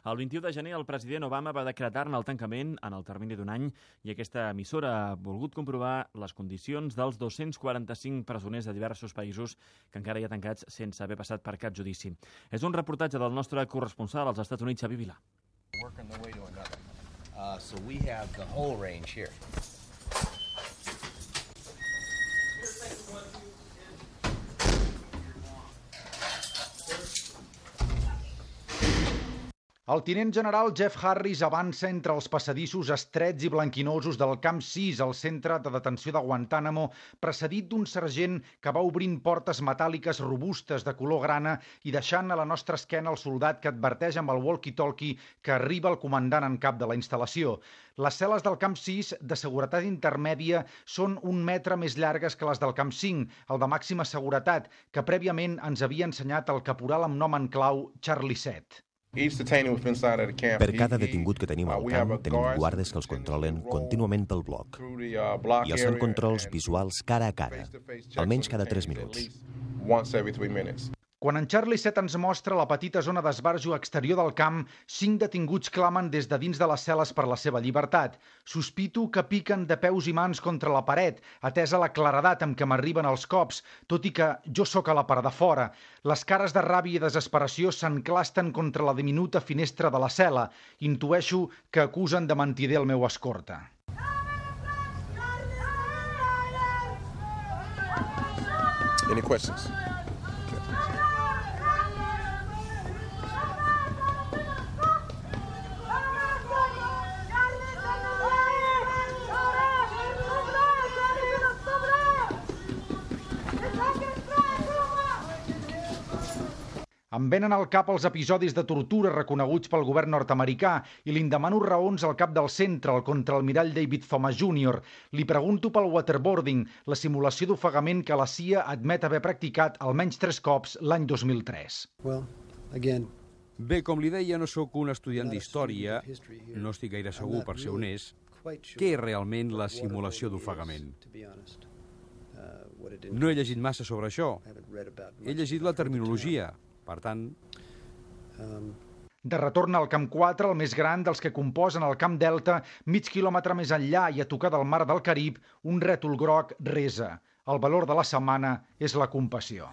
El 21 de gener el president Obama va decretar-ne el tancament en el termini d'un any i aquesta emissora ha volgut comprovar les condicions dels 245 presoners de diversos països que encara hi ha tancats sense haver passat per cap judici. És un reportatge del nostre corresponsal als Estats Units, Xavi Vilà. So we have the whole range here. El tinent general Jeff Harris avança entre els passadissos estrets i blanquinosos del Camp 6, al centre de detenció de Guantánamo, precedit d'un sergent que va obrint portes metàl·liques robustes de color grana i deixant a la nostra esquena el soldat que adverteix amb el walkie-talkie que arriba el comandant en cap de la instal·lació. Les cel·les del Camp 6, de seguretat intermèdia, són 1 metre més llargues que les del Camp 5, el de màxima seguretat, que prèviament ens havia ensenyat el caporal amb nom en clau Charlie 7. Per cada detingut que tenim al camp, tenim guardes que els controlen contínuament pel bloc. I els fan controls visuals cara a cara, almenys cada 3 minuts. Quan en Charlie 7 ens mostra la petita zona d'esbarjo exterior del camp, 5 detinguts clamen des de dins de les cel·les per la seva llibertat. Sospito que piquen de peus i mans contra la paret, atesa la claredat amb què m'arriben els cops, tot i que jo sóc a la part de fora. Les cares de ràbia i desesperació s'enclasten contra la diminuta finestra de la cel·la. Intueixo que acusen de mentider el meu escorta. Any questions? Em venen al cap els episodis de tortura reconeguts pel govern nord-americà i li'n demano raons al cap del centre, el contraalmirall David Thomas Jr. Li pregunto pel waterboarding, la simulació d'ofegament que la CIA admet haver practicat almenys 3 cops l'any 2003. Bé, com li deia, no sóc un estudiant d'història, no estic gaire segur, per ser honest, què és realment la simulació d'ofegament. No he llegit massa sobre això. He llegit la terminologia. Per tant... De retorn al Camp 4, el més gran dels que composen el Camp Delta, mig quilòmetre més enllà i a tocar del mar del Carib, un rètol groc resa. El valor de la setmana és la compassió.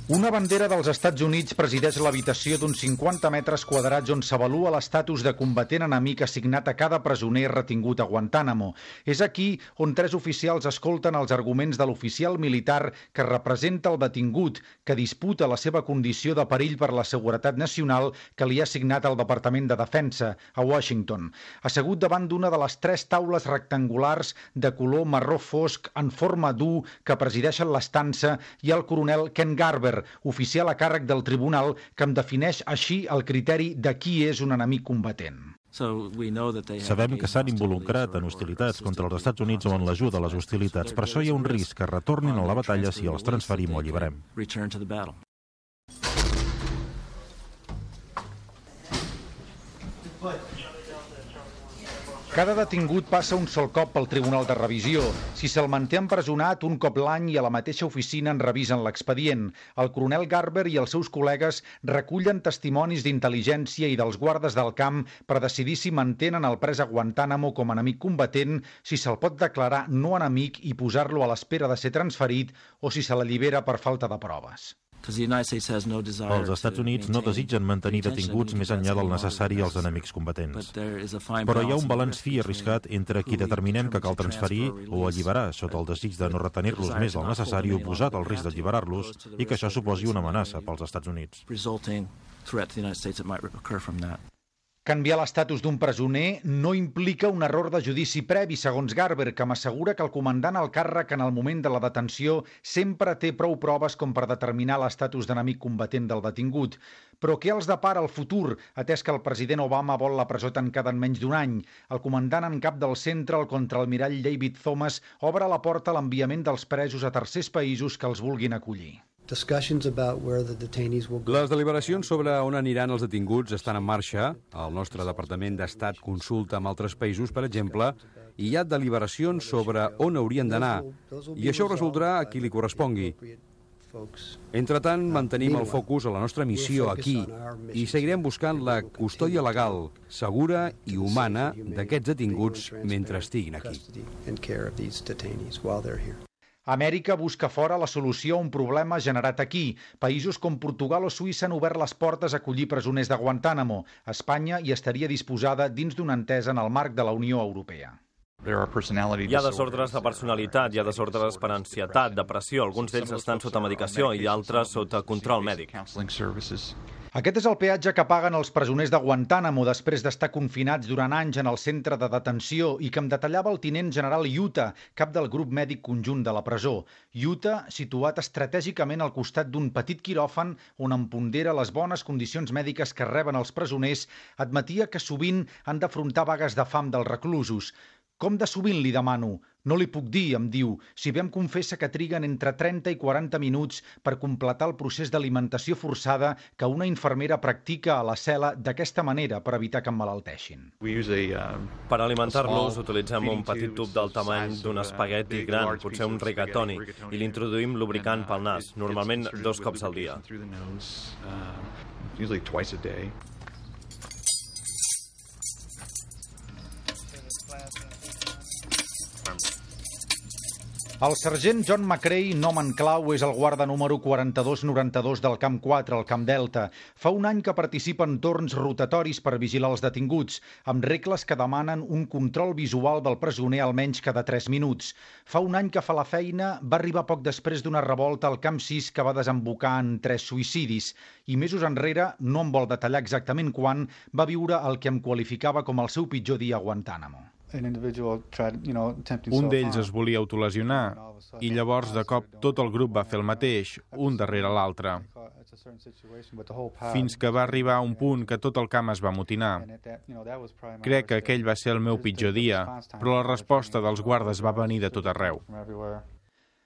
Una bandera dels Estats Units presideix l'habitació d'uns 50 metres quadrats on s'avalua l'estatus de combatent enemic assignat a cada presoner retingut a Guantánamo. És aquí on 3 oficials escolten els arguments de l'oficial militar que representa el detingut, que disputa la seva condició de perill per la seguretat nacional que li ha assignat el Departament de Defensa, a Washington. Assegut davant d'una de les 3 taules rectangulars de color marró fosc en forma d'U que presideixen l'estança, hi ha el coronel Ken Garber, oficial a càrrec del tribunal, que em defineix així el criteri de qui és un enemic combatent. Sabem que s'han involucrat en hostilitats contra els Estats Units o en l'ajuda a les hostilitats. Per això hi ha un risc que retornin a la batalla si els transferim o alliberem. Cada detingut passa un sol cop pel Tribunal de Revisió. Si se'l manté empresonat, un cop l'any i a la mateixa oficina en revisen l'expedient. El coronel Garber i els seus col·legues recullen testimonis d'intel·ligència i dels guardes del camp per decidir si mantenen el pres a Guantánamo com a enemic combatent, si se'l pot declarar no enemic i posar-lo a l'espera de ser transferit o si se l'allibera per falta de proves. Els Estats Units no desitgen mantenir detinguts més enllà del necessari als enemics combatents. Però hi ha un balanç fi i arriscat entre qui determinem que cal transferir o alliberar sota el desig de no retenir-los més del necessari oposat al risc d'alliberar-los i que això suposi una amenaça pels Estats Units. Canviar l'estatus d'un presoner no implica un error de judici previ, segons Garber, que m'assegura que el comandant al càrrec en el moment de la detenció sempre té prou proves com per determinar l'estatus d'enemic combatent del detingut. Però què els depara el futur, atès que el president Obama vol la presó tancada en menys d'un any? El comandant en cap del centre, el contraalmirall David Thomas, obre la porta a l'enviament dels presos a tercers països que els vulguin acollir. Les deliberacions sobre on aniran els detinguts estan en marxa. El nostre Departament d'Estat consulta amb altres països, per exemple, i hi ha deliberacions sobre on haurien d'anar, i això resoldrà a qui li correspongui. Entretant, mantenim el focus a la nostra missió aquí i seguirem buscant la custòdia legal, segura i humana d'aquests detinguts mentre estiguin aquí. Amèrica busca fora la solució a un problema generat aquí. Països com Portugal o Suïssa han obert les portes a acollir presoners de Guantánamo. Espanya hi estaria disposada dins d'una entesa en el marc de la Unió Europea. Hi ha desordres de personalitat, hi ha desordres per ansietat, depressió, alguns d'ells estan sota medicació i altres sota control mèdic. Aquest és el peatge que paguen els presoners de Guantánamo després d'estar confinats durant anys en el centre de detenció i que em detallava el tinent general Yuta, cap del grup mèdic conjunt de la presó. Yuta, situat estratègicament al costat d'un petit quiròfan on empondera les bones condicions mèdiques que reben els presoners, admetia que sovint han d'afrontar vagues de fam dels reclusos. Com de sovint, li demano? No li puc dir, em diu, si bé em confessa que triguen entre 30 i 40 minuts per completar el procés d'alimentació forçada que una infermera practica a la cel·la d'aquesta manera per evitar que emmalalteixin. Per alimentar-los utilitzem un petit tub del tamany d'un espagueti gran, potser un rigatoni, i l'introduïm lubricant pel nas, normalment 2 cops al dia. El sergent John McCrae, nom en clau, és el guarda número 4292 del Camp 4, al Camp Delta. Fa un any que participa en torns rotatoris per vigilar els detinguts, amb regles que demanen un control visual del presoner almenys cada 3 minuts. Fa un any que fa la feina, va arribar poc després d'una revolta al Camp 6 que va desembocar en 3 suïcidis. I mesos enrere, no em vol detallar exactament quan, va viure el que em qualificava com el seu pitjor dia a Guantánamo. Un d'ells es volia autolesionar i llavors de cop tot el grup va fer el mateix, un darrere l'altre. Fins que va arribar a un punt que tot el camp es va amotinar. Crec que aquell va ser el meu pitjor dia, però la resposta dels guardes va venir de tot arreu.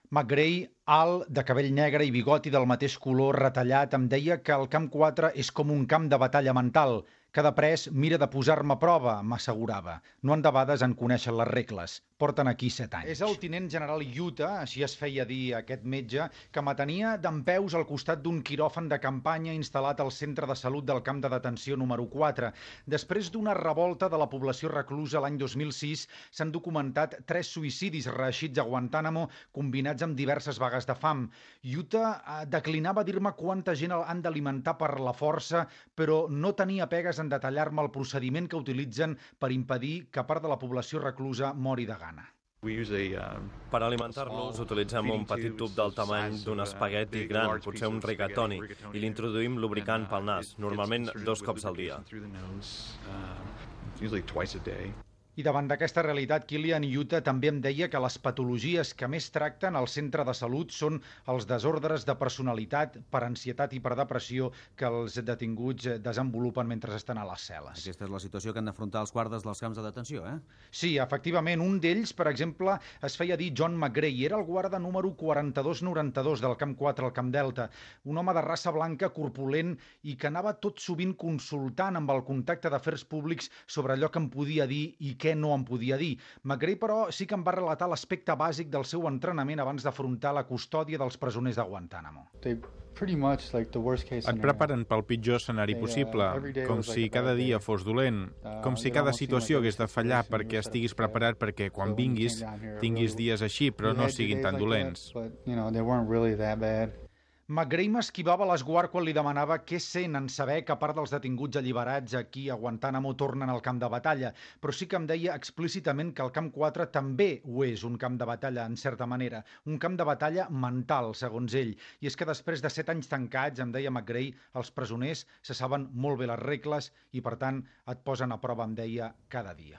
McCrae, alt, de cabell negre i bigoti del mateix color retallat, em deia que el Camp 4 és com un camp de batalla mental. Cada pres mira de posar-me a prova, m'assegurava. No endebades en conèixer les regles. Porten aquí 7 anys. És el tinent general Yuta, així es feia dir aquest metge, que m'atenia dempeus al costat d'un quiròfan de campanya instal·lat al centre de salut del camp de detenció número 4. Després d'una revolta de la població reclusa l'any 2006, s'han documentat 3 suïcidis reeixits a Guantánamo combinats amb diverses vagues de fam. Yuta declinava dir-me quanta gent han d'alimentar per la força, però no tenia pegues en detallar-me el procediment que utilitzen per impedir que part de la població reclusa mori de gana. Per alimentar-los utilitzem un petit tub del tamany d'un espagueti gran, potser un rigatoni, i l'introduïm lubricant pel nas, normalment 2 cops al dia. I davant d'aquesta realitat, Kilian Yuta també em deia que les patologies que més tracten al centre de salut són els desordres de personalitat per ansietat i per depressió que els detinguts desenvolupen mentre estan a les cel·les. Aquesta és la situació que han d'afrontar els guardes dels camps de detenció, eh? Sí, efectivament. Un d'ells, per exemple, es feia dir John McCrae, era el guarda número 4292 del Camp 4 al Camp Delta, un home de raça blanca, corpulent i que anava tot sovint consultant amb el contacte d'afers públics sobre allò que em podia dir i què no em podia dir. McCrae, però, sí que em va relatar l'aspecte bàsic del seu entrenament abans d'afrontar la custòdia dels presoners de Guantánamo. Et preparen pel pitjor escenari possible, com si cada dia fos dolent, com si cada situació hagués de fallar perquè estiguis preparat perquè quan vinguis tinguis dies així, però no siguin tan dolents. McCrae m'esquivava l'esguard quan li demanava què sent en saber que part dels detinguts alliberats aquí a Guantánamo tornen al camp de batalla, però sí que em deia explícitament que el Camp 4 també ho és un camp de batalla, en certa manera, un camp de batalla mental, segons ell. I és que després de 7 anys tancats, em deia McCrae, els presoners se saben molt bé les regles i, per tant, et posen a prova, em deia, cada dia.